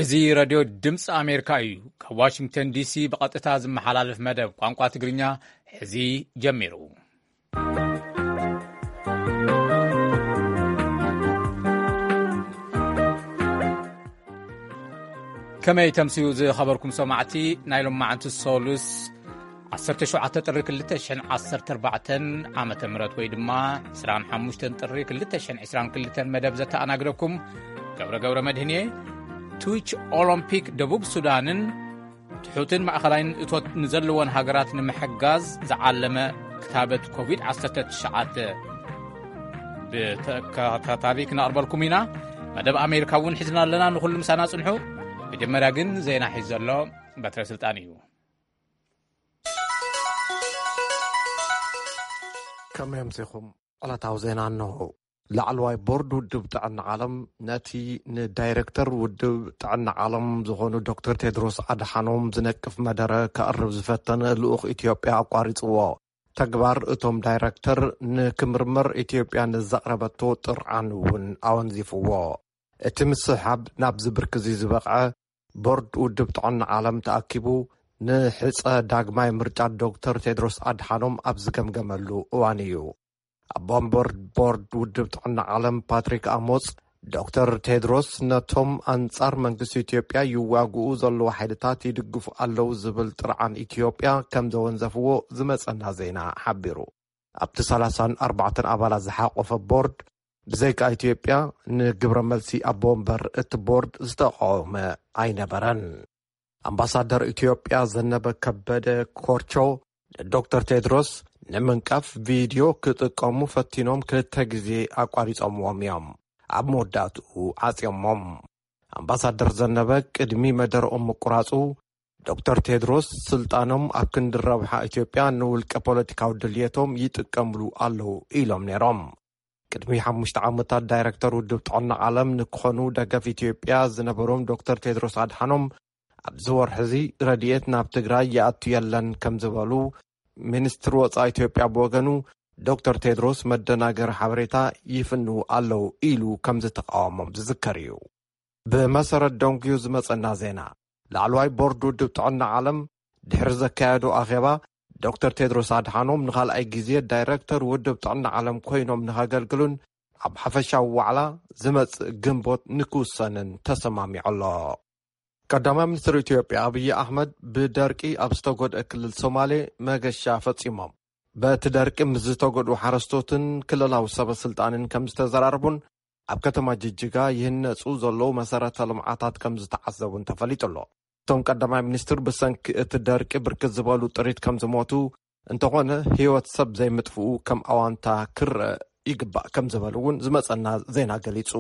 እዚ ሬድዮ ድምፂ ኣሜሪካ እዩ። ካብ ዋሽንግተን ዲሲ ብቐጥታ ዝመሓላለፍ መደብ ቋንቋ ትግርኛ ሕዚ ጀሚሩ። ከመይ ተምስዩ ዝኸበርኩም ሰማዕቲ፣ ናይ ሎማዓንቲ ሶሉስ ዓሰርተ ሸውዓተ ጥሪ ክልተ ሽሕን ዓሰርተ ኣርባዕተን ዓመተ ምህረት ወይ ድማ ዕስራን ሓሙሽተን ጥሪ ክልተ ሽሕን ዕስራን ክልተን መደብ ዘተኣናግደኩም ገብረ ገብረ መድህን እየ። ትዊች ኦሎምፒክ ደቡብ ሱዳንን ትሑትን ማእኸላይን እቶት ንዘለወን ሃገራት ንምሕጋዝ ዝዓለመ ክታበት ኮቪድ ዓሰርተ ትሽዓተ ብተከታታሊ ክነቕርበልኩም ኢና። መደብ ኣሜሪካ እውን ሒዝና ኣለና። ንኹሉ ምሳና ጽንሑ። መጀመርያ ግን ዜና ሒዝ ዘሎ በትረ ስልጣን እዩ። ከመይ ኣምሲኹም? ዕለታዊ ዜና እንሆ። ላዕለዋይ ቦርድ ውድብ ጥዕና ዓለም ነቲ ንዳይረክተር ውድብ ጥዕና ዓለም ዝኾኑ ዶክተር ቴድሮስ ኣድሓኖም ዝነቅፍ መደረ ከቕርብ ዝፈተነ ልኡኽ ኢትዮጵያ ኣቋሪጽዎ። ተግባር እቶም ዳይረክተር ንክምርመር ኢትዮጵያ ንዘቕረበቶ ጥርዓን እውን ኣወንዚፍዎ። እቲ ምስሕሓብ ናብዚ ብርኪ እዚ ዝበቕዐ፣ ቦርድ ውድብ ጥዕና ዓለም ተኣኪቡ ንሕጸ ዳግማይ ምርጫ ዶክተር ቴድሮስ ኣድሓኖም ኣብ ዝገምገመሉ እዋን እዩ። ኣቦ ወንበር ቦርድ ውድብ ጥዕና ዓለም ፓትሪክ ኣሞጽ፣ ዶክተር ቴድሮስ ነቶም ኣንጻር መንግስቲ ኢትዮጵያ ይዋግኡ ዘለዉ ሓይልታት ይድግፉ ኣለዉ ዝብል ጥርዓን ኢትዮጵያ ከም ዘወንዘፍዎ ዝመጸና ዜና ሓቢሩ። ኣብቲ ሰላሳን ኣርባዕተን ኣባላት ዝሓቆፈ ቦርድ፣ ብዘይካ ኢትዮጵያ፣ ንግብረ መልሲ ኣቦ ወንበር እቲ ቦርድ ዝተቃወመ ኣይነበረን። ኣምባሳደር ኢትዮጵያ ዘነበ ከበደ ኮርቾ፣ ንዶክተር ቴድሮስ ንምንቃፍ ቪድዮ ክጥቀሙ ፈቲኖም ክልተ ግዜ ኣቋሪጾምዎም እዮም። ኣብ መወዳእትኡ ዓጽዮሞም። ኣምባሳደር ዘነበ ቅድሚ መደረኦም ምቁራጹ፣ ዶክተር ቴድሮስ ስልጣኖም ኣብ ክንዲ ረብሓ ኢትዮጵያ ንውልቀ ፖለቲካዊ ድልየቶም ይጥቀምሉ ኣለዉ ኢሎም ነይሮም። ቅድሚ ሓሙሽተ ዓመታት ዳይረክተር ውድብ ጥዕና ዓለም ንክኾኑ ደገፍ ኢትዮጵያ ዝነበሮም ዶክተር ቴድሮስ ኣድሓኖም፣ ኣብዚ ወርሒ እዚ ረድኤት ናብ ትግራይ ይኣቱ የለን ከም ዝበሉ፣ ሚኒስትሪ ወጻኢ ኢትዮጵያ ብወገኑ፣ ዶክተር ቴድሮስ መደናገሪ ሓበሬታ ይፍንዉ ኣለዉ ኢሉ ከም ዝተቃወሞም ዝዝከር እዩ። ብመሰረት ደንጉዩ ዝመጸና ዜና፣ ላዕለዋይ ቦርድ ውድብ ጥዕና ዓለም ድሕሪ ዘካየዶ ኣኼባ፣ ዶክተር ቴድሮስ ኣድሓኖም ንኻልኣይ ግዜ ዳይረክተር ውድብ ጥዕና ዓለም ኮይኖም ንኸገልግሉን ኣብ ሓፈሻዊ ዋዕላ ዝመጽእ ግንቦት ንክውሰንን ተሰማሚዑ ኣሎ። ቀዳማይ ሚኒስትር ኢትዮጵያ ኣብይ ኣሕመድ ብደርቂ ኣብ ዝተጎድአ ክልል ሶማሌ መገሻ ፈጺሞም። በቲ ደርቂ ምስ ዝተጎድኡ ሓረስቶትን ክልላዊ ሰበ ስልጣንን ከም ዝተዘራረቡን ኣብ ከተማ ጅጅጋ ይህነጹ ዘለዉ መሰረተ ልምዓታት ከም ዝተዓዘቡን ተፈሊጡ ኣሎ። እቶም ቀዳማይ ሚኒስትር ብሰንኪ እቲ ደርቂ ብርክት ዝበሉ ጥሪት ከም ዝሞቱ፣ እንተኾነ ህይወት ሰብ ዘይምጥፍኡ ከም ኣዋንታ ክረአ ይግባእ ከም ዝበሉ እውን ዝመጸና ዜና ገሊጹ።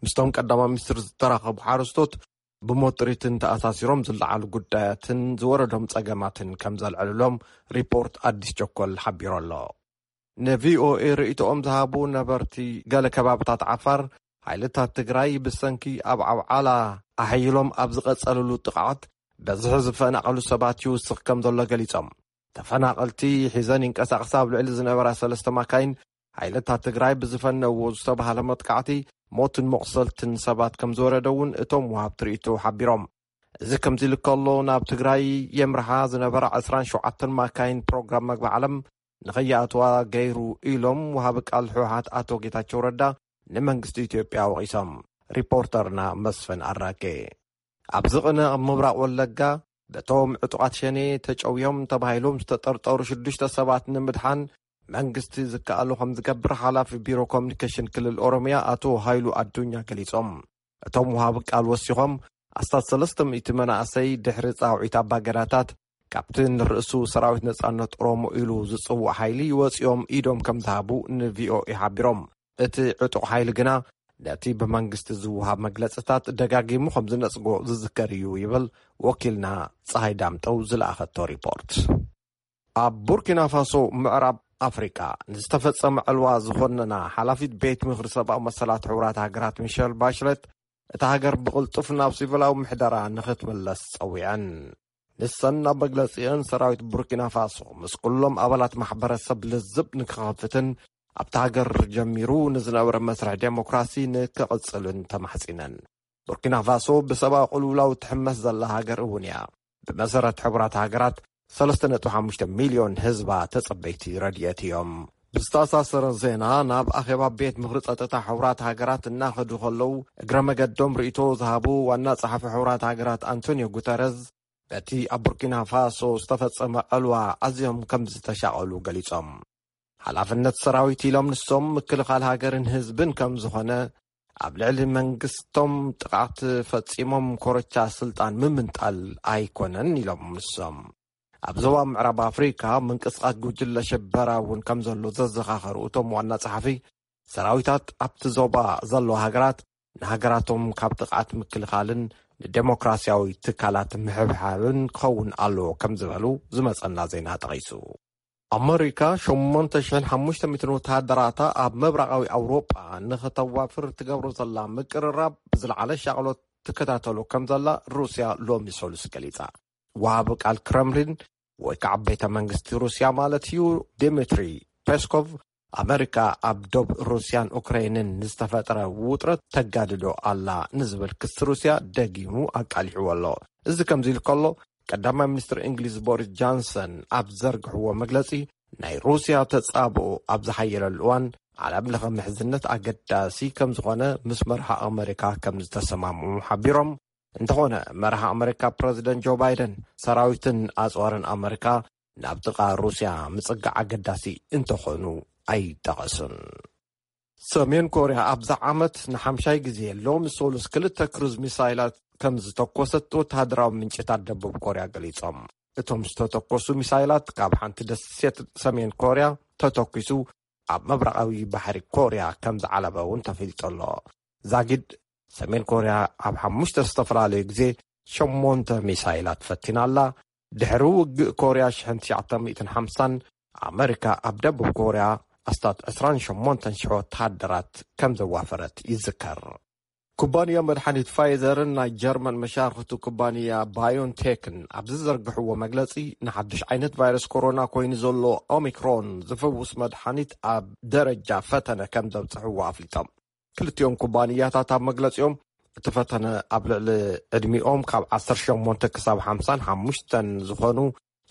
ምስቶም ቀዳማይ ሚኒስትር ዝተራኸቡ ሓረስቶት ብሞት ጥሪትን ተኣሳሲሮም ዝለዓሉ ጉዳያትን ዝወረዶም ጸገማትን ከም ዘልዕልሎም ሪፖርት ኣዲስ ቸኮል ሓቢሩ ኣሎ። ንቪኦኤ ርእይቶኦም ዝሃቡ ነበርቲ ገለ ከባብታት ዓፋር፣ ሓይልታት ትግራይ ብሰንኪ ኣብ ዓብዓላ ኣሐይሎም ኣብ ዝቐጸልሉ ጥቕዓት፣ በዝሒ ዝፈናቐሉ ሰባት ይውስኽ ከም ዘሎ ገሊጾም። ተፈናቐልቲ ሒዘን ይንቀሳቐሳ ኣብ ልዕሊ ዝነበራ ሰለስተ ማካይን፣ ሓይልታት ትግራይ ብዝፈነዎ ዝተባህለ መጥቃዕቲ፣ ሞትን መቑሰልትን ሰባት ከም ዝወረደ እውን እቶም ወሃብቲ ርእይቶ ሓቢሮም። እዚ ከምዚ ኢሉ ከሎ፣ ናብ ትግራይ የምርሓ ዝነበራ ዕስራን ሸውዓተን ማካይን ፕሮግራም መግቢ ዓለም ንኸይኣትዋ ገይሩ ኢሎም ወሃቢ ቃል ህወሓት ኣቶ ጌታቸው ረዳ ንመንግስቲ ኢትዮጵያ ወቒሶም። ሪፖርተርና መስፍን ኣራጌ። ኣብዚ ቅነ ኣብ ምብራቕ ወለጋ በቶም ዕጡቓት ሸኔ ተጨውዮም ተባሂሎም ዝተጠርጠሩ ሽዱሽተ ሰባት ንምድሓን መንግስቲ ዝከኣሉ ከም ዝገብር ሓላፊ ቢሮ ኮሚኒኬሽን ክልል ኦሮሚያ ኣቶ ሃይሉ ኣዱኛ ገሊጾም። እቶም ወሃቢ ቃል ወሲኾም፣ ኣስታት ሰለስተ ሚእቲ መናእሰይ ድሕሪ ጻውዒት ኣባገዳታት ካብቲ ንርእሱ ሰራዊት ነጻነት ኦሮሞ ኢሉ ዝጽውዕ ሓይሊ ወጺኦም ኢዶም ከም ዝሃቡ ንቪኦኤ ሓቢሮም። እቲ ዕጡቕ ሓይሊ ግና ነቲ ብመንግስቲ ዝወሃብ መግለጽታት ደጋጊሙ ከም ዝነጽጎ ዝዝከር እዩ ይብል ወኪልና ጸሃይ ዳምጠው ዝለኣኸቶ ሪፖርት። ኣብ ቡርኪና ፋሶ ምዕራብ ኣፍሪቃ ንዝተፈጸመ ዕልዋ ዝኾነና ሓላፊት ቤት ምኽሪ ሰብኣዊ መሰላት ሕቡራት ሃገራት ሚሸል ባሽለት፣ እታ ሃገር ብቕልጡፍ ናብ ሲቪላዊ ምሕደራ ንኽትምለስ ጸዊዐን። ንሰን ኣብ መግለጺአን፣ ሰራዊት ቡርኪና ፋሶ ምስ ኩሎም ኣባላት ማሕበረሰብ ልዝብ ንክኸፍትን ኣብታ ሃገር ጀሚሩ ንዝነበረ መስርሕ ዴሞክራሲ ንክቕጽልን ተማሕጺነን። ቡርኪና ፋሶ ብሰብኣዊ ቅልውላው ትሕመስ ዘላ ሃገር እውን እያ። ብመሰረት ሕቡራት ሃገራት፣ ሰለስተ ነጥቢ ሓሙሽተ ሚልዮን ህዝባ ተጸበይቲ ረድኤት እዮም። ብዝተኣሳሰረ ዜና፣ ናብ ኣኼባ ቤት ምኽሪ ጸጥታ ሕቡራት ሃገራት እናኸዱ ከለዉ፣ እግረ መገዶም ርእይቶ ዝሃቡ ዋና ጸሓፊ ሕቡራት ሃገራት ኣንቶኒዮ ጉተረዝ፣ በቲ ኣብ ቡርኪና ፋሶ ዝተፈጸመ ዕልዋ ኣዝዮም ከም ዝተሻቐሉ ገሊጾም። ሓላፍነት ሰራዊት ኢሎም ንሶም ምክልኻል ሃገርን ህዝብን ከም ዝኾነ፣ ኣብ ልዕሊ መንግስቶም ጥቕዓት ፈጺሞም ኮረቻ ስልጣን ምምንጣል ኣይኮነን ኢሎም ንሶም። ኣብ ዞባ ምዕራብ ኣፍሪካ ምንቅስቓስ ጉጅለ ሽበራ እውን ከም ዘሎ ዘዘኻኸሩ እቶም ዋና ጸሓፊ፣ ሰራዊታት ኣብቲ ዞባ ዘለዋ ሃገራት ንሃገራቶም ካብ ጥቕዓት ምክልኻልን ንዴሞክራሲያዊ ትካላት ምሕብሓብን ክኸውን ኣለዎ ከም ዝበሉ ዝመጸና ዜና ጠቒሱ። ኣመሪካ ሸሞንተ ሽሕን ሓሙሽተ ሚእትን ወተሃደራታ ኣብ ምብራቓዊ ኣውሮጳ ንኸተዋፍር ትገብሮ ዘላ ምቅርራብ ብዝለዓለ ሻቕሎት ትከታተሎ ከም ዘላ ሩስያ ሎሚ ሰሉስ ገሊጻ። ወሃቢ ቃል ክረምሊን ወይ ከዓ ቤተ መንግስቲ ሩስያ ማለት እዩ፣ ዲሚትሪ ፔስኮቭ፣ ኣመሪካ ኣብ ዶብ ሩስያን ኡክራይንን ንዝተፈጠረ ውጥረት ተጋድዶ ኣላ ንዝብል ክሲ ሩስያ ደጊሙ ኣቃሊሕዎ ኣሎ። እዚ ከምዚ ኢሉ ከሎ፣ ቀዳማይ ሚኒስትር እንግሊዝ ቦሪስ ጃንሰን ኣብ ዘርግሕዎ መግለጺ፣ ናይ ሩስያ ተጻብኦ ኣብ ዝሓየለሉ እዋን ዓለም ለኸ ምሕዝነት ኣገዳሲ ከም ዝኾነ ምስ መርሃ ኣመሪካ ከም ዝተሰማምዑ ሓቢሮም። እንተኾነ፣ መርሃ ኣመሪካ ፕረዚደንት ጆ ባይደን ሰራዊትን ኣጽዋርን ኣመሪካ ናብ ጥቓ ሩስያ ምጽጋዕ ኣገዳሲ እንተኾኑ ኣይጠቐሱን። ሰሜን ኮርያ ኣብዛ ዓመት ንሓምሻይ ግዜ ሎሚ ሰሉስ ክልተ ክሩዝ ሚሳይላት ከም ዝተኮሰት ወተሃደራዊ ምንጭታት ደቡብ ኮርያ ገሊጾም። እቶም ዝተተኮሱ ሚሳይላት ካብ ሓንቲ ደሴት ሰሜን ኮርያ ተተኪሱ ኣብ ምብራቓዊ ባሕሪ ኮርያ ከም ዝዓለበ እውን ተፈሊጡ ኣሎ። ዛጊድ ሰሜን ኮርያ ኣብ ሓሙሽተ ዝተፈላለዩ ግዜ ሸሞንተ ሚሳይላት ፈቲና ኣላ። ድሕሪ ውግእ ኮርያ ሽሕን ትሽዓተ ሚእትን ሓምሳን ኣመሪካ ኣብ ደቡብ ኮርያ ኣስታት ዕስራን ሸሞንተን ሽሕ ወተሃደራት ከም ዘዋፈረት ይዝከር። ኩባንያ መድሓኒት ፋይዘርን ናይ ጀርመን መሻርኽቱ ኩባንያ ባዮንቴክን ኣብ ዝዘርግሕዎ መግለጺ፣ ንሓድሽ ዓይነት ቫይረስ ኮሮና ኮይኑ ዘሎ ኦሚክሮን ዝፍውስ መድሓኒት ኣብ ደረጃ ፈተነ ከም ዘብጽሕዎ ኣፍሊጦም። ክልቲኦም ኩባንያታት ኣብ መግለጺኦም፣ እቲ ፈተነ ኣብ ልዕሊ ዕድሚኦም ካብ ዓሰርተ ሸሞንተ ክሳብ ሓምሳን ሓሙሽተን ዝኾኑ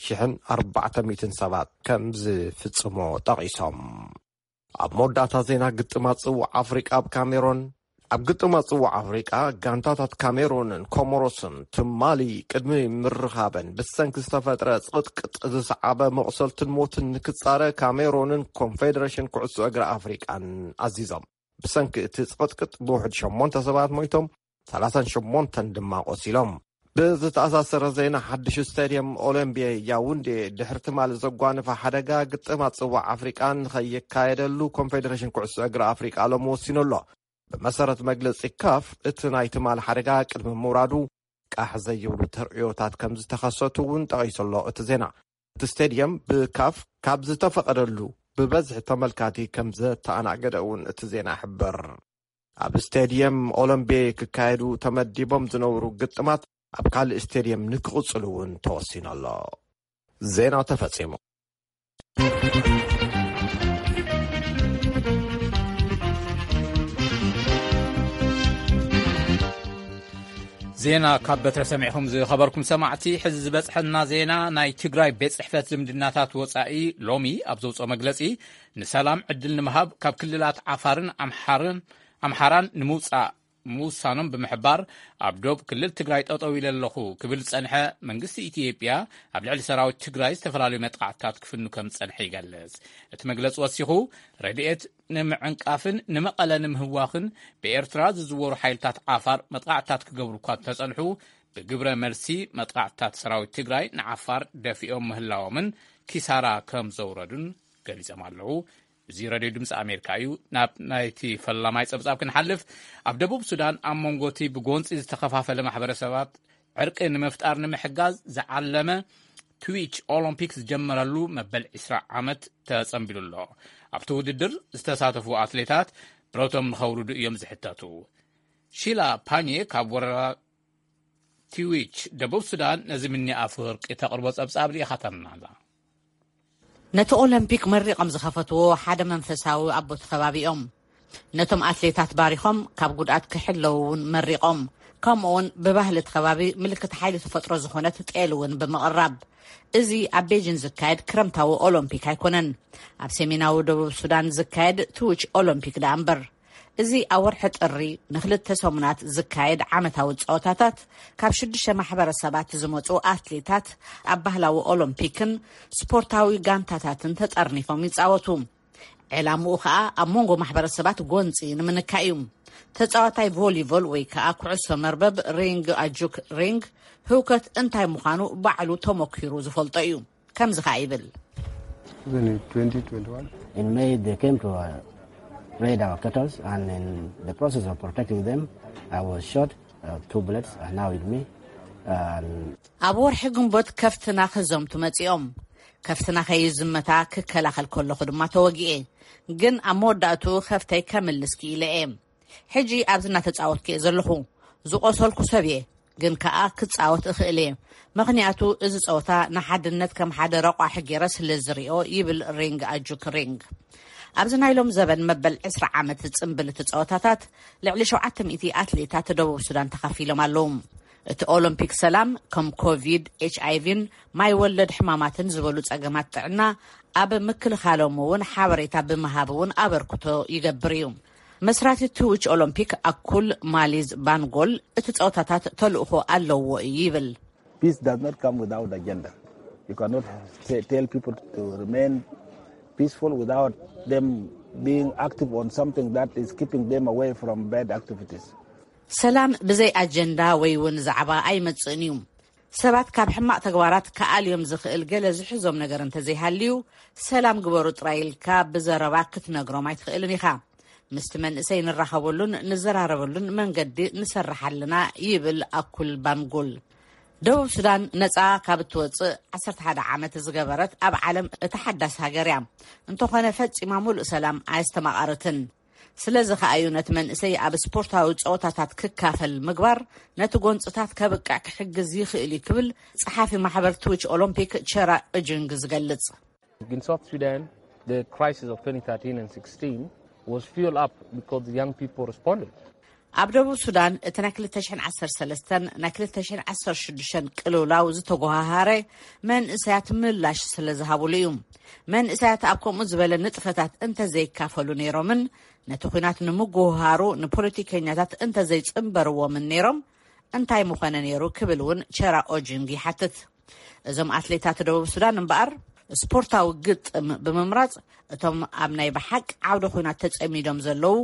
ሽሕን ኣርባዕተ ሚእትን ሰባት ከም ዝፍጽሞ ጠቒሶም። ኣብ መወዳእታ ዜና ግጥማት ጽዋዕ ኣፍሪቃ ኣብ ካሜሮን። ኣብ ግጥማት ጽዋዕ ኣፍሪቃ፣ ጋንታታት ካሜሮንን ኮሞሮስን ትማሊ ቅድሚ ምርኻበን ብሰንኪ ዝተፈጥረ ጽቕጥቅጥ ዝሰዓበ መቑሰልትን ሞትን ንክጻረ ካሜሮንን ኮንፌደሬሽን ኩዕሶ እግሪ ኣፍሪቃን ኣዚዞም። ብሰንኪ እቲ ጽቕጥቅጥ ብውሕድ ሸሞንተ ሰባት ሞይቶም፣ ሰላሳን ሸሞንተን ድማ ቆሲሎም። ብዝተኣሳሰረ ዜና፣ ሓድሽ ስታድየም ኦሎምፒየ ያውንዴ ድሕሪ ትማሊ ዘጓነፈ ሓደጋ፣ ግጥማት ጽዋዕ ኣፍሪቃ ንኸይካየደሉ ኮንፌደሬሽን ኩዕሶ እግሪ ኣፍሪቃ ሎሚ ወሲኑ ኣሎ። ብመሰረት መግለጺ ካፍ፣ እቲ ናይ ትማሊ ሓደጋ ቅድሚ ምውራዱ ቃሕ ዘይብሉ ተርእዮታት ከም ዝተኸሰቱ እውን ጠቒሱ ኣሎ እቲ ዜና። እቲ ስቴድየም ብካፍ ካብ ዝተፈቐደሉ ብበዝሒ ተመልካቲ ከም ዘተኣናገደ እውን እቲ ዜና ይሕብር። ኣብ ስቴድየም ኦሎምቤ ክካየዱ ተመዲቦም ዝነበሩ ግጥማት ኣብ ካልእ ስቴድየም ንክቕጽሉ እውን ተወሲኑ ኣሎ። ዜና ተፈጺሙ። ዜና ካብ በትረ ሰሚዕኹም ዝኸበርኩም ሰማዕቲ፣ ሕዚ ዝበጽሐና ዜና፣ ናይ ትግራይ ቤት ጽሕፈት ዝምድናታት ወጻኢ ሎሚ ኣብ ዘውጽኦ መግለጺ፣ ንሰላም ዕድል ንምሃብ ካብ ክልላት ዓፋርን ኣምሓርን ኣምሓራን ንምውጻእ ምውሳኖም ብምሕባር፣ ኣብ ዶብ ክልል ትግራይ ጠጠው ኢለ ኣለኹ ክብል ዝጸንሐ መንግስቲ ኢትዮጵያ፣ ኣብ ልዕሊ ሰራዊት ትግራይ ዝተፈላለዩ መጥቃዕትታት ክፍኑ ከም ዝጸንሐ ይገልጽ። እቲ መግለጺ ወሲኹ፣ ረድኤት ንምዕንቃፍን ንመቐለ ንምህዋኽን ብኤርትራ ዝዝወሩ ሓይልታት ዓፋር መጥቃዕትታት ክገብሩ እኳ እንተጸንሑ፣ ብግብረ መልሲ መጥቃዕትታት ሰራዊት ትግራይ ንዓፋር ደፊኦም ምህላዎምን ኪሳራ ከም ዘውረዱን ገሊጾም ኣለዉ። እዚ ረድዮ ድምፂ ኣሜሪካ እዩ። ናብ ናይቲ ፈላማይ ጸብጻብ ክንሓልፍ፣ ኣብ ደቡብ ሱዳን ኣብ መንጎ እቲ ብጎንፂ ዝተኸፋፈለ ማሕበረሰባት ዕርቂ ንምፍጣር ንምሕጋዝ ዝዓለመ ትዊች ኦሎምፒክ ዝጀመረሉ መበል ዕስራ ዓመት ተጸንቢሉ ኣሎ። ኣብቲ ውድድር ዝተሳተፉ ኣትሌታት ብረቶም ንኸውርዱ እዮም ዝሕተቱ። ሺላ ፓኔ ካብ ወረዳ ትዊች ደቡብ ሱዳን ነዚ ምኒ ኣፈወርቂ ተቕርቦ ጸብጻብ ልኢኻተልና ኣላ። ነቲ ኦሎምፒክ መሪቖም ዝኸፈትዎ ሓደ መንፈሳዊ ኣቦ እቲ ከባቢ እዮም። ነቶም ኣትሌታት ባሪኾም ካብ ጉድኣት ክሕለዉ እውን መሪቖም። ከምኡውን ብባህሊ እቲ ከባቢ ምልክት ሓይሊ ተፈጥሮ ዝኾነት ጤል እውን ብምቕራብ። እዚ ኣብ ቤጂን ዝካየድ ክረምታዊ ኦሎምፒክ ኣይኮነን። ኣብ ሰሜናዊ ደቡብ ሱዳን ዝካየድ ትውች ኦሎምፒክ ደኣ እምበር። እዚ ኣብ ወርሒ ጥሪ ንክልተ ሰሙናት ዝካየድ ዓመታዊ ጸወታታት፣ ካብ ሽዱሽተ ማሕበረሰባት ዝመጹ ኣትሌታት ኣብ ባህላዊ ኦሎምፒክን ስፖርታዊ ጋንታታትን ተጠርኒፎም ይጻወቱ። ዕላምኡ ከኣ ኣብ መንጎ ማሕበረሰባት ጎንጺ ንምንካይ እዩ። ተጻዋታይ ቮሊቮል ወይ ከኣ ኩዕሶ መርበብ ሪንግ ኣጁክ ሪንግ ህውከት እንታይ ምዃኑ ባዕሉ ተመኪሩ ዝፈልጦ እዩ። ከምዚ ከኣ ይብል። In May, they came to uh, raid our cattle, and in the process of protecting them, I was shot uh, two bullets, and now with me. And ኣብ ወርሒ ግንቦት ከፍትና ክዘምቱ መጺኦም። ከፍትና ከይዝመታ ክከላኸል ከለኹ ድማ ተወጊኤ። ግን ኣብ መወዳእትኡ ከፍተይ ከምልስ ክኢለ እየ። ሕጂ ኣብዚ እናተጻወትኩ እየ ዘለኹ። ዝቆሰልኩ ሰብ እየ፣ ግን ከኣ ክጻወት እኽእል እየ። ምኽንያቱ እዚ ጸወታ ንሓድነት ከም ሓደ ረቋሒ ገይረ ስለ ዝሪኦ፣ ይብል ሪንግ ኣጁክ ሪንግ። ኣብዚ ናይ ሎም ዘበን መበል ዕስራ ዓመት ዝጽንብል እቲ ጸወታታት ልዕሊ ሸውዓተ ሚእቲ ኣትሌታት ደቡብ ሱዳን ተኻፊሎም ኣለዉ። እቲ ኦሎምፒክ ሰላም ከም ኮቪድ፣ ኤች ኣይ ቪን ማይ ወለድ ሕማማትን ዝበሉ ጸገማት ጥዕና ኣብ ምክልኻሎም እውን ሓበሬታ ብምሃብ እውን ኣበርክቶ ይገብር እዩ። መስራቲ ትውች ኦሎምፒክ ኣኩል ማሊዝ ባንጎል እቲ ጸወታታት ተልእኾ ኣለዎ እዩ ይብል። Peace does not come without agenda. You cannot say, tell people to remain peaceful without them being active on something that is keeping them away from bad activities. ሰላም ብዘይ ኣጀንዳ ወይ እውን ዛዕባ ኣይመጽእን እዩ። ሰባት ካብ ሕማቕ ተግባራት ክኣልዮም ዝኽእል ገለ ዝሕዞም ነገር እንተዘይሃልዩ፣ ሰላም ግበሩ ጥራይ ኢልካ ብዘረባ ክትነግሮም ኣይትኽእልን ኢኻ። ምስቲ መንእሰይ ንራኸበሉን ንዘራረበሉን መንገዲ ንሰርሕ ኣለና፣ ይብል ኣኩል ባንጉል። ደቡብ ሱዳን ነጻ ካብ እትወጽእ ዓሰርተ ሓደ ዓመት ዝገበረት ኣብ ዓለም እታ ሓዳስ ሃገር እያ። እንተኾነ ፈጺማ ሙሉእ ሰላም ኣየስተማቐረትን። ስለዚ ከኣ እዩ ነቲ መንእሰይ ኣብ ስፖርታዊ ጸወታታት ክካፈል ምግባር ነቲ ጎንጽታት ከብቅዕ ክሕግዝ ይኽእል እዩ ክብል ጸሓፊ ማሕበር ትውች ኦሎምፒክ ቸራ እጅንግ ዝገልጽ። In South Sudan, the crisis of twenty thirteen and sixteen was fueled up because the young people responded. ኣብ ደቡብ ሱዳን እቲ ናይ ክልተ ሽሕን ዓሰርተ ሰለስተን ናይ ክልተ ሽሕን ዓሰርተ ሽዱሽተን ቅልውላው ዝተጎሃሃረ መንእሰያት ምላሽ ስለ ዝሃብሉ እዩ። መንእሰያት ኣብ ከምኡ ዝበለ ንጥፈታት እንተዘይካፈሉ ነይሮምን ነቲ ኲናት ንምጉህሃሩ ንፖለቲከኛታት እንተዘይጽንበርዎምን ነይሮም እንታይ ምኾነ ነይሩ ክብል እውን ቸራ ኦጅንግ ይሓትት። እዞም ኣትሌታት ደቡብ ሱዳን እምበኣር ስፖርታዊ ግጥም ብምምራጽ እቶም ኣብ ናይ ብሓቂ ዓውደ ኹናት ተጸሚዶም ዘለዉ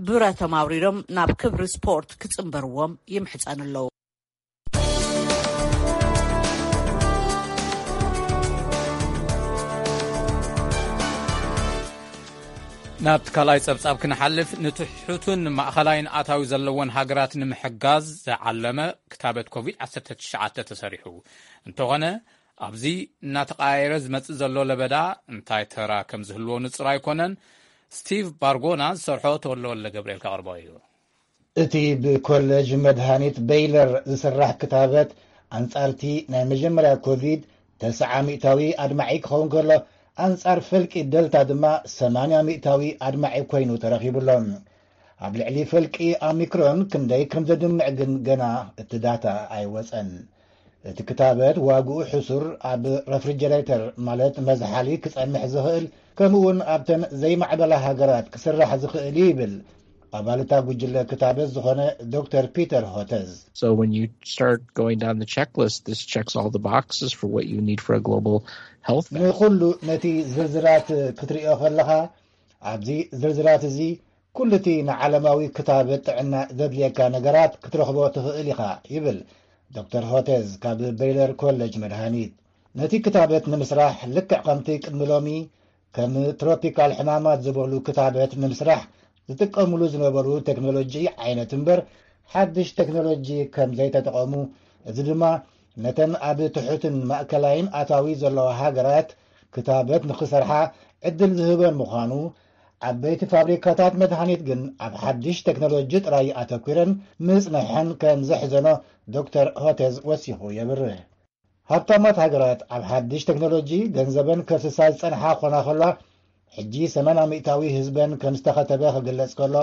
ብረቶም ኣውሪዶም ናብ ክብሪ ስፖርት ክጽንበርዎም ይምሕጸኑ ኣለዉ። ናብቲ ካልኣይ ጸብጻብ ክንሓልፍ፣ ንትሑትን ማእኸላይን ኣታዊ ዘለወን ሃገራት ንምሕጋዝ ዝዓለመ ክታበት ኮቪድ ዓሰርተ ትሽዓተ ተሰሪሑ እንተኾነ፣ ኣብዚ እናተቐያየረ ዝመጽእ ዘሎ ለበዳ እንታይ ተራ ከም ዝህልዎ ንጹር ኣይኮነን። ስቲቭ ባርጎና ዝሰርሖ ተወልደ ወልደ ገብርኤል ከቕርቦ እዩ። እቲ ብኮሌጅ መድሃኒት በይለር ዝስራሕ ክታበት ኣንጻርቲ ናይ መጀመርያ ኮቪድ ተስዓ ሚእታዊ ኣድማዒ ክኸውን ከሎ፣ ኣንጻር ፈልቂ ደልታ ድማ ሰማንያ ሚእታዊ ኣድማዒ ኮይኑ ተረኺቡሎ። ኣብ ልዕሊ ፈልቂ ኦሚክሮን ክንደይ ከም ዘድምዕ ግን ገና እቲ ዳታ ኣይወጸን። እቲ ክታበት ዋግኡ ሕሱር፣ ኣብ ረፍሪጀሬተር ማለት መዝሓሊ ክጸንሕ ዝኽእል፣ ከምኡውን ኣብተን ዘይማዕበላ ሃገራት ክስራሕ ዝኽእል እዩ ይብል ኣባል እታ ጉጅለ ክታበት ዝኾነ ዶክተር ፒተር ሆተዝ። So when you start going down the checklist, this checks all the boxes for what you need for a global health. ንኹሉ ነቲ ዝርዝራት ክትሪኦ ከለኻ፣ ኣብዚ ዝርዝራት እዚ ኩሉ እቲ ንዓለማዊ ክታበት ጥዕና ዘድልየካ ነገራት ክትረኽቦ ትኽእል ኢኻ ይብል ዶክተር ሆተዝ ካብ በይለር ኮሌጅ መድሃኒት። ነቲ ክታበት ንምስራሕ ልክዕ ከምቲ ቅድሚ ሎሚ ከም ትሮፒካል ሕማማት ዝበሉ ክታበት ንምስራሕ ዝጥቀምሉ ዝነበሩ ቴክኖሎጂ ዓይነት እምበር ሓድሽ ቴክኖሎጂ ከም ዘይተጠቐሙ፣ እዚ ድማ ነተን ኣብ ትሑትን ማእከላይን ኣታዊ ዘለዋ ሃገራት ክታበት ንኽሰርሓ ዕድል ዝህበን ምዃኑ፣ ዓበይቲ ፋብሪካታት መድሃኒት ግን ኣብ ሓድሽ ቴክኖሎጂ ጥራይ ኣተኲረን ምጽንሐን ከም ዘሕዘኖ ዶክተር ሆተዝ ወሲኹ የብርህ። ሃብታማት ሃገራት ኣብ ሓድሽ ቴክኖሎጂ ገንዘበን ከፍስሳ ዝጸንሓ ኮና ከላ፣ ሕጂ ሰማንያ ሚእታዊ ህዝበን ከም ዝተኸተበ ክግለጽ ከሎ፣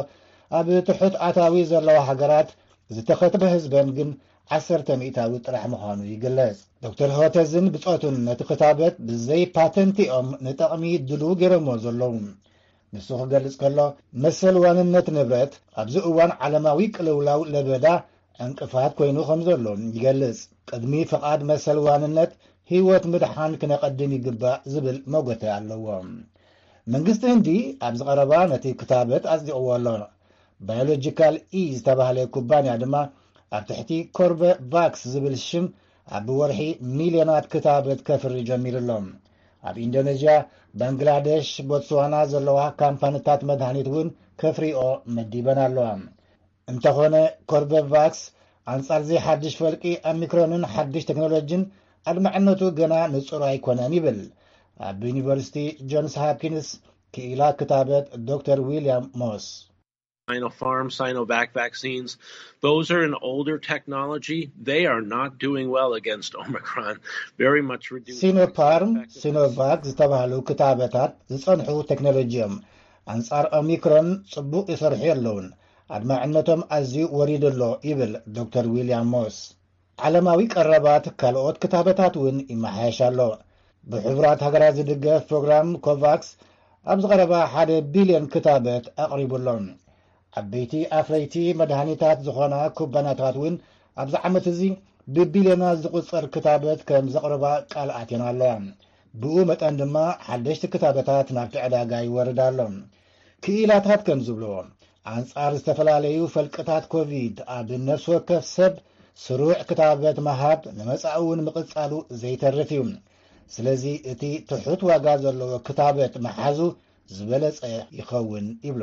ኣብ ትሑት ኣታዊ ዘለዋ ሃገራት ዝተኸትበ ህዝበን ግን ዓሰርተ ሚእታዊ ጥራሕ ምዃኑ ይግለጽ። ዶክተር ሆተዝን ብጾቱን ነቲ ክታበት ብዘይ ፓተንቲኦም ንጠቕሚ ድሉው ገይሮሞ ዘለዉ። ንሱ ክገልጽ ከሎ፣ መሰል ዋንነት ንብረት ኣብዚ እዋን ዓለማዊ ቅልውላው ለበዳ ዕንቅፋት ኮይኑ ከም ዘሎ ይገልጽ። ቅድሚ ፍቓድ መሰል ዋንነት ህይወት ምድሓን ክነቐድም ይግባእ ዝብል መጎተ ኣለዎ። መንግስቲ ህንዲ ኣብዚ ቀረባ ነቲ ክታበት ኣጽዲቕዎ ኣሎ። ባዮሎጂካል ኢ ዝተባህለ ኩባንያ ድማ ኣብ ትሕቲ ኮርበቫክስ ዝብል ሽም ኣብ ወርሒ ሚልዮናት ክታበት ከፍሪ ጀሚሩ ኣሎ። ኣብ ኢንዶኔዥያ፣ ባንግላደሽ፣ ቦትስዋና ዘለዋ ካምፓኒታት መድሃኒት እውን ከፍሪኦ መዲበን ኣለዋ። እንተኾነ፣ ኮርበቫክስ ኣንጻር ዘይሓድሽ ፈልቂ ኦሚክሮንን ሓድሽ ቴክኖሎጂን ኣድማዕነቱ ገና ንጹር ኣይኮነን ይብል ኣብ ዩኒቨርሲቲ ጆንስ ሃፕኪንስ ክኢላ ክታበት ዶክተር ዊልያም ሞስ። Sinopharm, Sinovac vaccines, those are an older technology. They are not doing well against Omicron. Very much reduced. ሲኖፓርም፣ ሲኖቫክ ዝተባህሉ ክታበታት ዝጸንሑ ቴክኖሎጂ እዮም። ኣንጻር ኦሚክሮን ጽቡቕ ይሰርሑ ኣለውን። ኣድማዕነቶም ኣዝዩ ወሪዱ ኣሎ ይብል ዶክተር ዊልያም ሞስ። ዓለማዊ ቀረባት ካልኦት ክታበታት እውን ይመሓየሽ ኣሎ። ብሕቡራት ሃገራት ዝድገፍ ፕሮግራም ኮቫክስ ኣብ ዝቐረባ ሓደ ቢልዮን ክታበት ኣቕሪቡ ኣሎ። ዓበይቲ ኣፍረይቲ መድሃኒታት ዝኾና ኩባንያታት እውን ኣብዚ ዓመት እዚ ብቢልዮናት ዝቑጸር ክታበት ከም ዘቕርባ ቃል ኣትየን ኣለዋ። ብኡ መጠን ድማ ሓደሽቲ ክታበታት ናብቲ ዕዳጋ ይወርድ ኣሎ። ክኢላታት ከም ዝብልዎ፣ ኣንጻር ዝተፈላለዩ ፈልቅታት ኮቪድ ኣብ ነፍሲ ወከፍ ሰብ ስሩዕ ክታበት ምሃብ ንመጻኢ እውን ምቕጻሉ ዘይተርፍ እዩ። ስለዚ እቲ ትሑት ዋጋ ዘለዎ ክታበት ምሓዙ ዝበለጸ ይኸውን ይብሉ።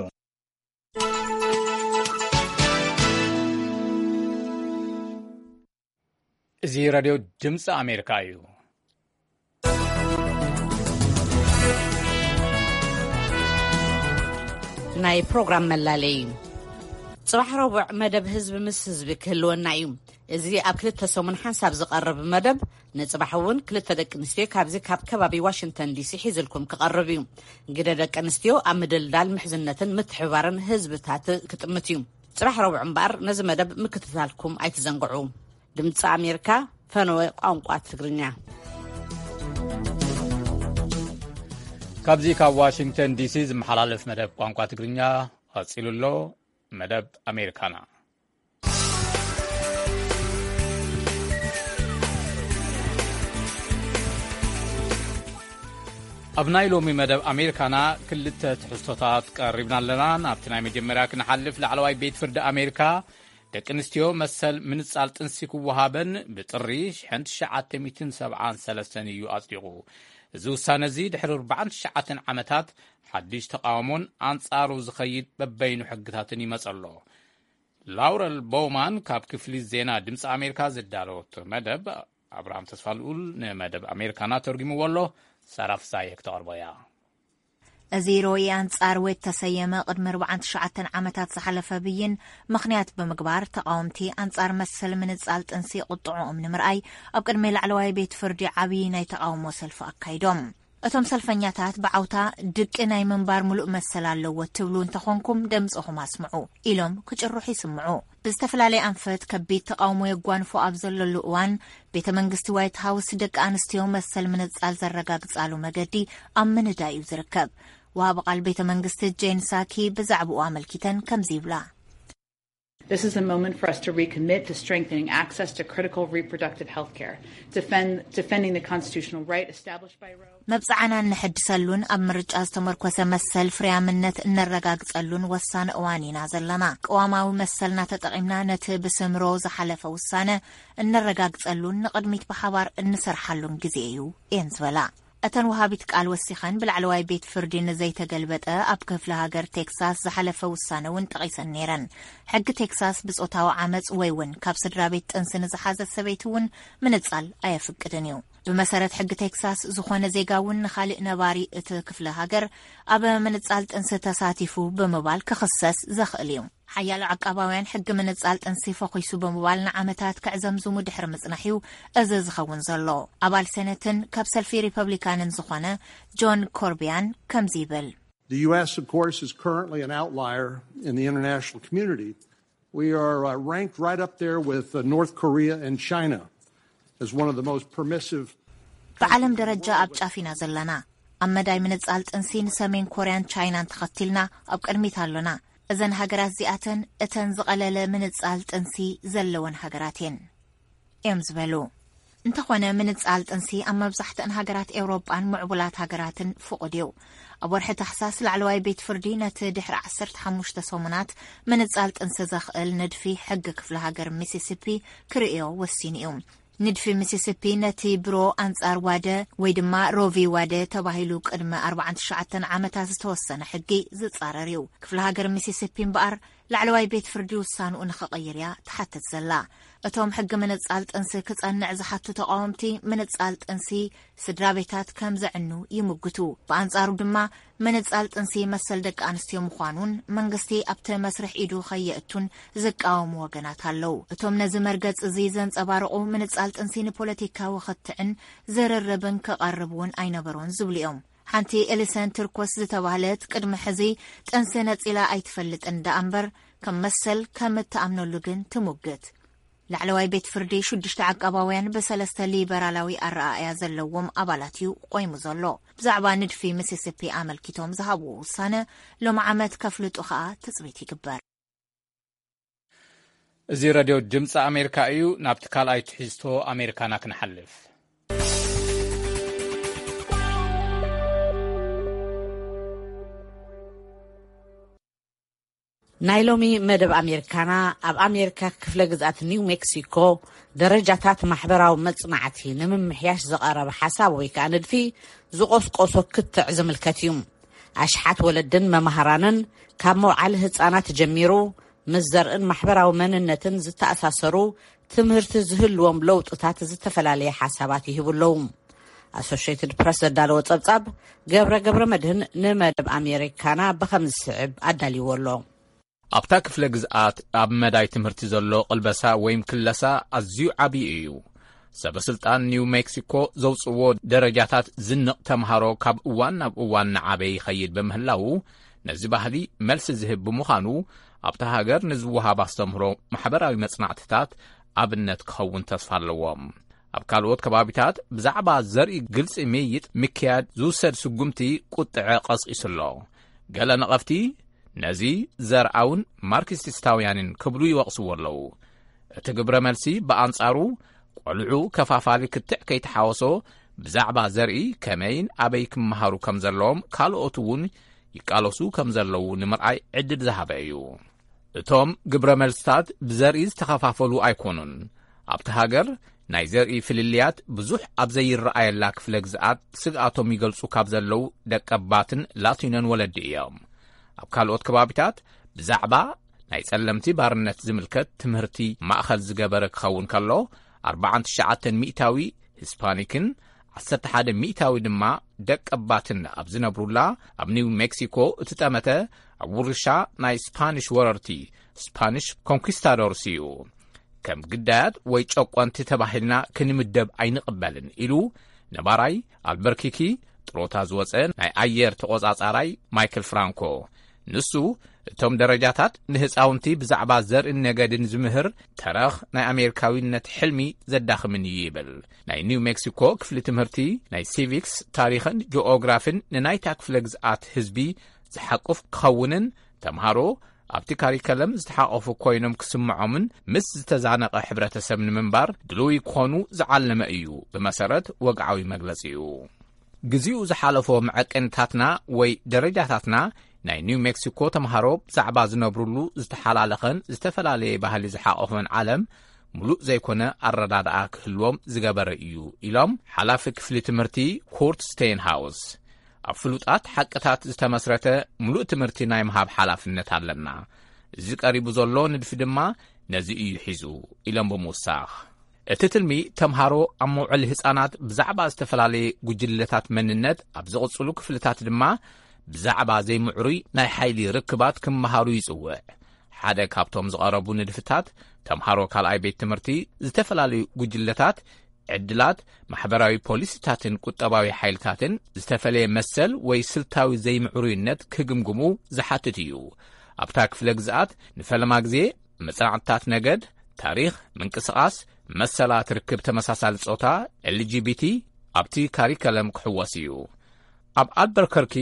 እዚ ሬድዮ ድምፂ ኣሜሪካ እዩ። ናይ ፕሮግራም መላለይ እዩ። ጽባሕ ረቡዕ መደብ ህዝቢ ምስ ህዝቢ ክህልወና እዩ። እዚ ኣብ ክልተ ሰሙን ሓንሳብ ዝቐርብ መደብ፣ ንጽባሕ እውን ክልተ ደቂ ኣንስትዮ ካብዚ ካብ ከባቢ ዋሽንግተን ዲሲ ሒዝልኩም ክቐርብ እዩ። ግደ ደቂ ኣንስትዮ ኣብ ምድልዳል ምሕዝነትን ምትሕብባርን ህዝብታት ክጥምት እዩ። ጽባሕ ረቡዕ እምበኣር ነዚ መደብ ምክትታልኩም ኣይትዘንግዑ። ድምፂ ኣሜሪካ፣ ፈነወ ቋንቋ ትግርኛ። ካብዚ ካብ ዋሽንግተን ዲሲ ዝመሓላለፍ መደብ ቋንቋ ትግርኛ ቀፂሉ ኣሎ። መደብ ኣሜሪካና። ኣብ ናይ ሎሚ መደብ ኣሜሪካና ክልተ ትሕዝቶታት ቀሪብና ኣለና። ናብቲ ናይ መጀመርያ ክንሓልፍ፣ ላዕለዋይ ቤት ፍርዲ ኣሜሪካ ደቂ ኣንስትዮ መሰል ምንጻል ጥንሲ ክወሃበን ብጥሪ ሽሕን ትሽዓተ ሚእትን ሰብዓን ሰለስተን እዩ ኣጽዲቑ። እዚ ውሳነ እዚ ድሕሪ ኣርባዓን ትሽዓተን ዓመታት ሓድሽ ተቓውሞን ኣንጻሩ ዝኸይድ በበይኑ ሕግታትን ይመጸ ኣሎ። ላውረል ቦውማን ካብ ክፍሊ ዜና ድምፂ ኣሜሪካ ዘዳለወቶ መደብ፣ ኣብርሃም ተስፋልኡል ንመደብ ኣሜሪካና ተርጉምዎ ኣሎ። ሳራ ፍሳየ ክተቕርቦ እያ። እዚ ሮኢ ኣንጻር ዌድ ተሰየመ ቅድሚ ኣርባዓን ትሽዓተን ዓመታት ዝሓለፈ ብይን ምኽንያት ብምግባር፣ ተቓወምቲ ኣንጻር መሰል ምንጻል ጥንሲ ቁጥዕኦም ንምርኣይ ኣብ ቅድሚ ላዕለዋይ ቤት ፍርዲ ዓብዪ ናይ ተቓውሞ ሰልፊ ኣካይዶም። እቶም ሰልፈኛታት ብዓውታ፣ ድቂ ናይ ምንባር ምሉእ መሰል ኣለዎ ትብሉ እንተኾንኩም፣ ደምጽኹም ኣስምዑ ኢሎም ክጭርሑ ይስምዑ። ብዝተፈላለየ ኣንፈት ከቢድ ተቓውሞ የጓንፎ ኣብ ዘለሉ እዋን፣ ቤተ መንግስቲ ዋይት ሃውስ ደቂ ኣንስትዮ መሰል ምንጻል ዘረጋግጻሉ መገዲ ኣብ ምንዳይ እዩ ዝርከብ። ወሃቢ ቃል ቤተ መንግስቲ ጄን ሳኪ ብዛዕባኡ ኣመልኪተን ከምዚ ይብላ። This is a moment for us to recommit to strengthening access to critical reproductive health care, defend, defending the constitutional right established by Roe. መብጽዓና እንሕድሰሉን ኣብ ምርጫ ዝተመርኮሰ መሰል ፍርያምነት እነረጋግጸሉን ወሳኒ እዋን ኢና ዘለና። ቅዋማዊ መሰልና ተጠቒምና ነቲ ብስም ሮ ዝሓለፈ ውሳነ እነረጋግጸሉን ንቕድሚት ብሓባር እንሰርሓሉን ግዜ እዩ እየን ዝበላ። እተን ወሃቢት ቃል ወሲኸን፣ ብላዕለዋይ ቤት ፍርዲ ንዘይተገልበጠ ኣብ ክፍለ ሃገር ቴክሳስ ዝሓለፈ ውሳነ እውን ጠቒሰን ነይረን። ሕጊ ቴክሳስ ብጾታዊ ዓመጽ ወይ እውን ካብ ስድራ ቤት ጥንሲ ንዝሓዘት ሰበይቲ እውን ምንጻል ኣየፍቅድን እዩ። ብመሰረት ሕጊ ቴክሳስ፣ ዝኾነ ዜጋ እውን ንኻልእ ነባሪ እቲ ክፍለ ሃገር ኣብ ምንጻል ጥንሲ ተሳቲፉ ብምባል ክኽሰስ ዘኽእል እዩ። ሓያሎ ዓቃባውያን ሕጊ ምንጻል ጥንሲ ፈኺሱ ብምባል ንዓመታት ክዕዘምዝሙ ድሕሪ ምጽናሕ እዩ እዚ ዝኸውን ዘሎ። ኣባል ሴነትን ካብ ሰልፊ ሪፐብሊካንን ዝኾነ ጆን ኮርቢያን ከምዚ ይብል። The U S, of course, is currently an outlier in the international community. We are uh, ranked right up there with uh, North Korea and China as one of the most permissive. ብዓለም ደረጃ ኣብ ጫፍ ኢና ዘለና። ኣብ መዳይ ምንጻል ጥንሲ ንሰሜን ኮርያን ቻይናን ተኸቲልና ኣብ ቅድሚት ኣሎና። እዘን ሃገራት እዚኣተን እተን ዝቐለለ ምንጻል ጥንሲ ዘለወን ሃገራት እየን እዮም ዝበሉ። እንተኾነ ምንጻል ጥንሲ ኣብ መብዛሕትአን ሃገራት ኤውሮጳን ምዕቡላት ሃገራትን ፍቑድ እዩ። ኣብ ወርሒ ታሕሳስ ላዕለዋይ ቤት ፍርዲ ነቲ ድሕሪ ዓሰርተ ሓሙሽተ ሰሙናት ምንጻል ጥንሲ ዘኽእል ንድፊ ሕጊ ክፍለ ሃገር ሚሲሲፒ ክርእዮ ወሲኑ እዩ። ንድፊ ሚሲሲፒ ነቲ ብሮ ኣንጻር ዋደ ወይ ድማ ሮቪ ዋደ ተባሂሉ ቅድሚ ኣርባዓን ትሽዓተን ዓመታት ዝተወሰነ ሕጊ ዝጻረር እዩ። ክፍለ ሃገር ሚሲሲፒ እምበኣር ላዕለዋይ ቤት ፍርዲ ውሳንኡ ንኽቕይር እያ ትሓትት ዘላ። እቶም ሕጊ ምንጻል ጥንሲ ክጸንዕ ዝሓቱ ተቓወምቲ ምንጻል ጥንሲ ስድራ ቤታት ከም ዘዕኑ ይምግቱ። ብኣንጻሩ ድማ ምንጻል ጥንሲ መሰል ደቂ ኣንስትዮ ምዃኑን መንግስቲ ኣብቲ መስርሕ ኢዱ ከየእቱን ዝቃወሙ ወገናት ኣለዉ። እቶም ነዚ መርገጽ እዚ ዘንጸባርቑ ምንጻል ጥንሲ ንፖለቲካዊ ክትዕን ዝርርብን ክቐርብ እውን ኣይነበሮን ዝብሉ እዮም። ሓንቲ ኤሊሰን ትርኮስ ዝተባህለት ቅድሚ ሕዚ ጥንሲ ነጺላ ኣይትፈልጥን ደኣ እምበር ከም መሰል ከም እትኣምነሉ ግን ትሙግት። ላዕለዋይ ቤት ፍርዲ ሽዱሽተ ዓቃባውያን ብሰለስተ ሊበራላዊ ኣረኣእያ ዘለዎም ኣባላት እዩ ቆይሙ ዘሎ። ብዛዕባ ንድፊ ሚሲሲፒ ኣመልኪቶም ዝሃብዎ ውሳነ ሎም ዓመት ከፍልጡ ከኣ ትጽቢት ይግበር። እዚ ረድዮ ድምፂ ኣሜሪካ እዩ። ናብቲ ካልኣይ ትሕዝቶ ኣሜሪካና ክንሓልፍ። ናይ ሎሚ መደብ ኣሜሪካና ኣብ ኣሜሪካ ክፍለ ግዝኣት ኒው ሜክሲኮ ደረጃታት ማሕበራዊ መጽናዕቲ ንምምሕያሽ ዝቐረበ ሓሳብ ወይ ከዓ ንድፊ ዝቆስቆሶ ክትዕ ዝምልከት እዩ። ኣሽሓት ወለድን መማህራንን ካብ መውዓሊ ህፃናት ጀሚሩ ምስ ዘርእን ማሕበራዊ መንነትን ዝተኣሳሰሩ ትምህርቲ ዝህልዎም ለውጥታት ዝተፈላለየ ሓሳባት ይህቡ ኣለዉ። ኣሶሽትድ ፕረስ ዘዳለዎ ጸብጻብ ገብረ ገብረ መድህን ንመደብ ኣሜሪካና ብኸም ዝስዕብ ኣዳልይዎ ኣሎ። ኣብታ ክፍለ ግዝኣት ኣብ መዳይ ትምህርቲ ዘሎ ቅልበሳ ወይም ክለሳ ኣዝዩ ዓብዪ እዩ። ሰበ ስልጣን ኒው ሜክሲኮ ዘውፅዎ ደረጃታት ዝንቕ ተምሃሮ ካብ እዋን ናብ እዋን ንዓበ ይኸይድ ብምህላው ነዚ ባህሊ መልሲ ዝህብ ብምዃኑ ኣብታ ሃገር ንዝወሃብ ኣስተምህሮ ማሕበራዊ መጽናዕትታት ኣብነት ክኸውን ተስፋ ኣለዎም። ኣብ ካልኦት ከባቢታት ብዛዕባ ዘርኢ ግልጺ ምይይጥ ምክያድ ዝውሰድ ስጉምቲ ቁጥዐ ቀስቂሱ ኣሎ። ገለ ነቐፍቲ ነዚ ዘርኣውን ማርክሲስታውያንን ክብሉ ይወቕስዎ ኣለዉ። እቲ ግብረ መልሲ ብኣንጻሩ ቆልዑ ከፋፋሊ ክትዕ ከይተሓወሶ ብዛዕባ ዘርኢ ከመይን ኣበይ ክመሃሩ ከም ዘለዎም ካልኦት እውን ይቃለሱ ከም ዘለዉ ንምርኣይ ዕድል ዝሃበ እዩ። እቶም ግብረ መልስታት ብዘርኢ ዝተኸፋፈሉ ኣይኮኑን። ኣብቲ ሃገር ናይ ዘርኢ ፍልልያት ብዙሕ ኣብ ዘይረኣየላ ክፍለ ግዝኣት ስግኣቶም ይገልጹ ካብ ዘለዉ ደቀባትን ላቲኖን ወለዲ እዮም። ኣብ ካልኦት ከባቢታት ብዛዕባ ናይ ጸለምቲ ባርነት ዝምልከት ትምህርቲ ማእኸል ዝገበረ ክኸውን ከሎ ኣርባዓን ትሽዓተን ሚእታዊ ሂስፓኒክን ዓሰርተ ሓደ ሚእታዊ ድማ ደቀባትን ኣብ ዝነብሩላ ኣብ ኒው ሜክሲኮ እቲ ጠመተ ኣብ ውርሻ ናይ ስፓኒሽ ወረርቲ ስፓኒሽ ኮንኪስታዶርስ እዩ። ከም ግዳያት ወይ ጨቆንቲ ተባሂልና ክንምደብ ኣይንቕበልን ኢሉ ነባራይ ኣልበርኪኪ ጥሮታ ዝወፀ ናይ ኣየር ተቖጻጻራይ ማይክል ፍራንኮ። ንሱ እቶም ደረጃታት ንህፃውንቲ ብዛዕባ ዘርእን ነገድን ዝምህር ተረኽ ናይ ኣሜሪካዊነት ሕልሚ ዘዳኽምን እዩ ይብል። ናይ ኒው ሜክሲኮ ክፍሊ ትምህርቲ ናይ ሲቪክስ ታሪኽን ጂኦግራፊን ንናይታ ክፍለ ግዝኣት ህዝቢ ዝሓቁፍ ክኸውንን ተምሃሮ ኣብቲ ካሪከለም ዝተሓቆፉ ኮይኖም ክስምዖምን ምስ ዝተዛነቐ ሕብረተሰብ ንምንባር ድልዊ ክኾኑ ዝዓለመ እዩ ብመሰረት ወግዓዊ መግለጺኡ። ግዚኡ ዝሓለፎ መዐቀንታትና ወይ ደረጃታትና ናይ ኒው ሜክሲኮ ተምሃሮ ብዛዕባ ዝነብሩሉ ዝተሓላለኸን ዝተፈላለየ ባህሊ ዝሓቆፈን ዓለም ሙሉእ ዘይኮነ ኣረዳድኣ ክህልዎም ዝገበረ እዩ ኢሎም ሓላፊ ክፍሊ ትምህርቲ ኩርት ስቴንሃውስ። ኣብ ፍሉጣት ሓቅታት ዝተመስረተ ሙሉእ ትምህርቲ ናይ ምሃብ ሓላፍነት ኣለና። እዚ ቀሪቡ ዘሎ ንድፊ ድማ ነዚ እዩ ሒዙ ኢሎም ብምውሳኽ። እቲ ትልሚ ተምሃሮ ኣብ መውዕሊ ህፃናት ብዛዕባ ዝተፈላለየ ጉጅለታት መንነት ኣብ ዝቕፅሉ ክፍልታት ድማ ብዛዕባ ዘይምዕሩይ ናይ ሓይሊ ርክባት ክመሃሩ ይፅውዕ። ሓደ ካብቶም ዝቐረቡ ንድፍታት ተምሃሮ ካልኣይ ቤት ትምህርቲ ዝተፈላለዩ ጉጅለታት ዕድላት ማሕበራዊ ፖሊሲታትን ቁጠባዊ ሓይልታትን ዝተፈለየ መሰል ወይ ስልታዊ ዘይምዕሩይነት ክግምግሙ ዝሓትት እዩ። ኣብታ ክፍለ ግዝኣት ንፈለማ ግዜ መጽናዕትታት ነገድ፣ ታሪኽ፣ ምንቅስቓስ፣ መሰላት ርክብ ተመሳሳሊ ጾታ፣ ኤልጂቢቲ፣ ኣብቲ ካሪከለም ክሕወስ እዩ። ኣብ ኣልበርከርኪ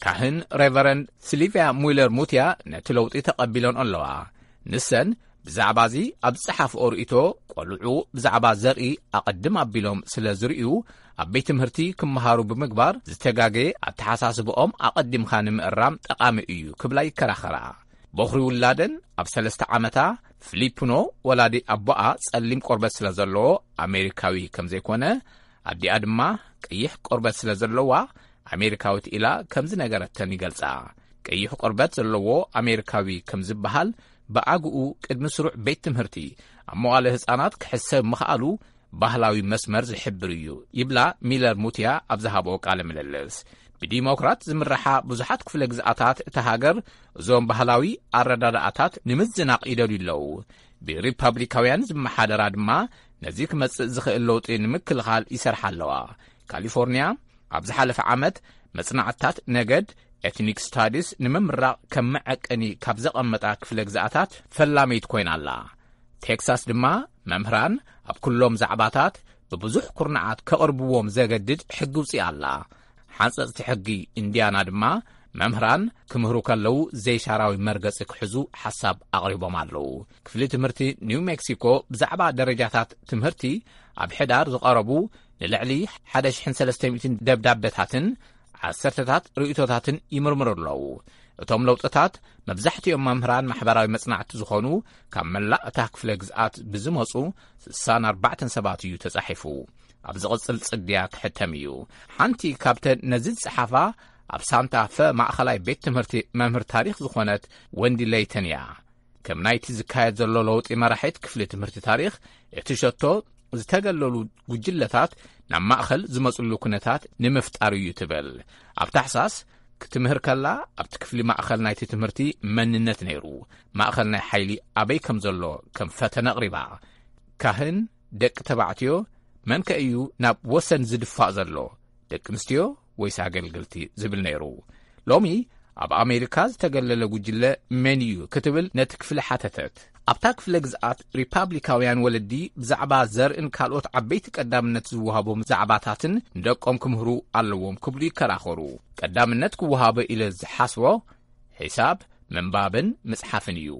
ካህን ሬቨረንድ ሲልቪያ ሙይለር ሙትያ ነቲ ለውጢ ተቐቢሎን ኣለዋ። ንሰን ብዛዕባ እዚ ኣብ ዝጸሓፍኦ ርእይቶ፣ ቆልዑ ብዛዕባ ዘርኢ ኣቐድም ኣቢሎም ስለ ዝርእዩ፣ ኣብ ቤት ትምህርቲ ክመሃሩ ብምግባር ዝተጋገየ ኣተሓሳስብኦም ኣቐዲምካ ንምእራም ጠቓሚ እዩ ክብላ ይከራኸራ። በኹሪ ውላደን ኣብ ሰለስተ ዓመታ፣ ፊሊፕኖ፣ ወላዲ ኣቦኣ ጸሊም ቆርበት ስለ ዘለዎ ኣሜሪካዊ ከም ዘይኮነ፣ ኣዲኣ ድማ ቀይሕ ቆርበት ስለ ዘለዋ ኣሜሪካዊት ኢላ ከም ዝነገረተን ይገልጻ። ቀይሕ ቆርበት ዘለዎ ኣሜሪካዊ ከም ዝበሃል ብኣግኡ ቅድሚ ስሩዕ ቤት ትምህርቲ ኣብ መዋለ ህጻናት ክሕሰብ ምኽኣሉ ባህላዊ መስመር ዝሕብር እዩ ይብላ ሚለር ሙትያ ኣብ ዝሃብኦ ቃለ ምልልስ። ብዲሞክራት ዝምርሓ ብዙሓት ክፍለ ግዝኣታት እታ ሃገር እዞም ባህላዊ ኣረዳድኣታት ንምዝናቕ ይደልዩ ኣለዉ። ብሪፓብሊካውያን ዝመሓደራ ድማ ነዚ ክመጽእ ዝኽእል ለውጢ ንምክልኻል ይሰርሓ ኣለዋ። ካሊፎርኒያ ኣብ ዝሓለፈ ዓመት መጽናዕትታት ነገድ፣ ኤትኒክ ስታዲስ፣ ንምምራቕ ከም መዐቀኒ ካብ ዘቐመጣ ክፍለ ግዝኣታት ፈላመይት ኮይና ኣላ። ቴክሳስ ድማ መምህራን ኣብ ኩሎም ዛዕባታት ብብዙሕ ኩርናዓት ከቕርብዎም ዘገድድ ሕጊ ውፅእ ኣላ። ሓንፀፅቲ ሕጊ ኢንዲያና ድማ መምህራን ክምህሩ ከለዉ ዘይሻራዊ መርገፂ ክሕዙ ሓሳብ ኣቕሪቦም ኣለዉ። ክፍሊ ትምህርቲ ኒው ሜክሲኮ ብዛዕባ ደረጃታት ትምህርቲ ኣብ ሕዳር ዝቐረቡ ንልዕሊ ሓደ ሽሕን ሰለስተ ሚእትን ደብዳበታትን ዓሰርተታት ርእይቶታትን ይምርምሩ ኣለዉ። እቶም ለውጥታት መብዛሕትኦም መምህራን ማሕበራዊ መጽናዕቲ ዝኾኑ ካብ መላእ እታ ክፍለ ግዝኣት ብዝመጹ ስሳን ኣርባዕተን ሰባት እዩ ተጻሒፉ። ኣብ ዝቕጽል ጽድያ ክሕተም እዩ። ሓንቲ ካብተን ነዚ ዝጸሓፋ ኣብ ሳንታ ፈ ማእኸላይ ቤት ትምህርቲ መምህር ታሪኽ ዝኾነት ወንዲ ለይተን እያ። ከም ናይቲ ዝካየድ ዘሎ ለውጢ መራሒት ክፍሊ ትምህርቲ ታሪኽ፣ እቲ ሸቶ ዝተገለሉ ጉጅለታት ናብ ማእኸል ዝመጽሉ ኩነታት ንምፍጣር እዩ ትብል። ኣብ ታሕሳስ ክትምህር ከላ ኣብቲ ክፍሊ ማእኸል ናይቲ ትምህርቲ መንነት ነይሩ። ማእኸል ናይ ሓይሊ ኣበይ ከም ዘሎ ከም ፈተነ ኣቕሪባ። ካህን፣ ደቂ ተባዕትዮ፣ መን ከ እዩ ናብ ወሰን ዝድፋእ ዘሎ? ደቂ ኣንስትዮ ወይስ ኣገልግልቲ ዝብል ነይሩ። ሎሚ ኣብ ኣሜሪካ ዝተገለለ ጉጅለ መን እዩ ክትብል ነቲ ክፍሊ ሓተተት። ኣብታ ክፍለ ግዝኣት ሪፓብሊካውያን ወለዲ ብዛዕባ ዘርእን ካልኦት ዓበይቲ ቀዳምነት ዝወሃቦም ዛዕባታትን ንደቆም ክምህሩ ኣለዎም ክብሉ ይከራኸሩ። ቀዳምነት ክወሃቦ ኢለ ዝሓስቦ ሒሳብ፣ ምንባብን ምጽሓፍን እዩ።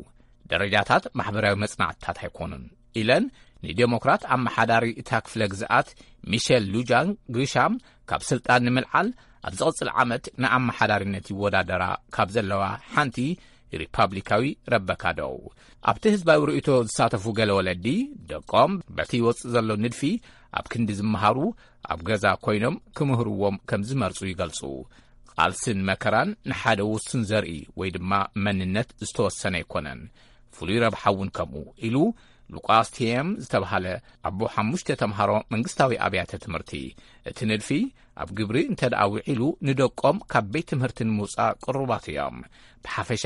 ደረጃታት ማሕበራዊ መጽናዕትታት ኣይኮኑን ኢለን ንዴሞክራት ኣመሓዳሪ እታ ክፍለ ግዝኣት ሚሸል ሉጃን ግሪሻም ካብ ስልጣን ንምልዓል ኣብ ዝቕጽል ዓመት ንኣመሓዳሪነት ይወዳደራ ካብ ዘለዋ ሓንቲ ሪፓብሊካዊ ረበካ ደው። ኣብቲ ህዝባዊ ርእይቶ ዝሳተፉ ገለ ወለዲ ደቆም በቲ ይወጽእ ዘሎ ንድፊ ኣብ ክንዲ ዝመሃሩ ኣብ ገዛ ኮይኖም ክምህርዎም ከም ዝመርጹ ይገልጹ። ቃልስን መከራን ንሓደ ውሱን ዘርኢ ወይ ድማ መንነት ዝተወሰነ ኣይኮነን። ፍሉይ ረብሓ እውን ከምኡ ኢሉ ሉቃስ ቲየም ዝተብሃለ ኣቦ ሓሙሽተ ተምሃሮ መንግስታዊ ኣብያተ ትምህርቲ። እቲ ንድፊ ኣብ ግብሪ እንተ ደኣ ውዒሉ ንደቆም ካብ ቤት ትምህርቲ ንምውጻእ ቅሩባት እዮም። ብሓፈሻ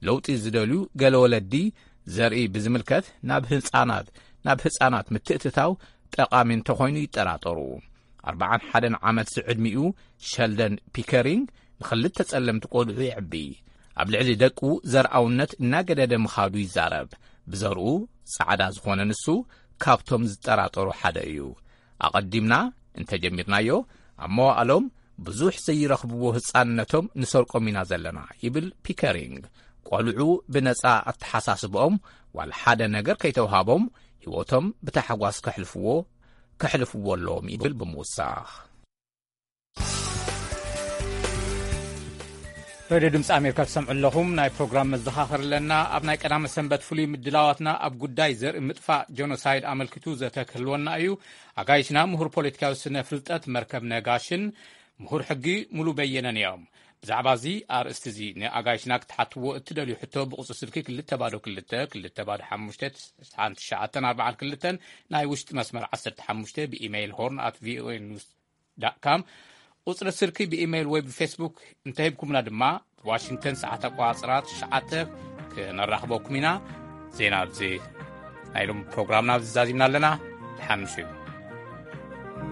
ለውጢ ዝደልዩ ገለ ወለዲ ዘርኢ ብዝምልከት ናብ ህጻናት፣ ናብ ህጻናት ምትእትታው ጠቓሚ እንተኾይኑ ይጠራጠሩ። ኣርባዓን ሓደን ዓመት ዝዕድሚኡ ሸልደን ፒከሪንግ ንኽልተ ጸለምቲ ቆልዑ የዕቢ። ኣብ ልዕሊ ደቁ ዘርኣውነት እናገደደ ምኻዱ ይዛረብ። ብዘርኡ ጻዕዳ ዝኾነ ንሱ ካብቶም ዝጠራጠሩ ሓደ እዩ። ኣቐዲምና እንተጀሚርናዮ ኣብ መዋእሎም ብዙሕ ዘይረኽብዎ ህጻንነቶም ንሰርቆም ኢና ዘለና ይብል ፒከሪንግ። ቆልዑ ብነጻ ኣተሓሳስብኦም ዋላ ሓደ ነገር ከይተውሃቦም ህይወቶም ብታሕጓስ ከሕልፍዎ፣ ከሕልፍዎ ኣለዎም ይብል ብምውሳኽ። ሬድዮ ድምፂ ኣሜሪካ ትሰምዑ ኣለኹም። ናይ ፕሮግራም መዘኻኸር ኣለና። ኣብ ናይ ቀዳመ ሰንበት ፍሉይ ምድላዋትና ኣብ ጉዳይ ዘርኢ ምጥፋእ ጀኖሳይድ ኣመልኪቱ ዘተ ክህልወና እዩ። ኣጋይሽና ምሁር ፖለቲካዊ ስነ ፍልጠት መርከብ ነጋሽን ምሁር ሕጊ ሙሉ በየነን እዮም። ብዛዕባ እዚ ኣርእስቲ እዚ ንኣጋይሽና ክትሓትዎ እትደልዩ ሕቶ ብቁፅሪ ስልኪ ክልተ ባዶ ክልተ ክልተ ባዶ ሓሙሽተ ሓንቲ ትሽዓተ ኣርባዓ ክልተ ናይ ውሽጢ መስመር ዓሰርተ ሓሙሽተ ብኢሜይል ሆርን ኣት ቪኦኤ ኒውስ ዳት ካም ቁፅሪ ስልኪ ብኢሜይል ወይ ብፌስቡክ እንተሂብኩምና ድማ ብዋሽንግተን ሰዓት ኣቋፅራ ትሽዓተ ክነራኽበኩም ኢና። ዜና ኣብዚ ናይ ሎም ፕሮግራምና ኣብዚ ዛዚምና ኣለና። ተሓንሹ።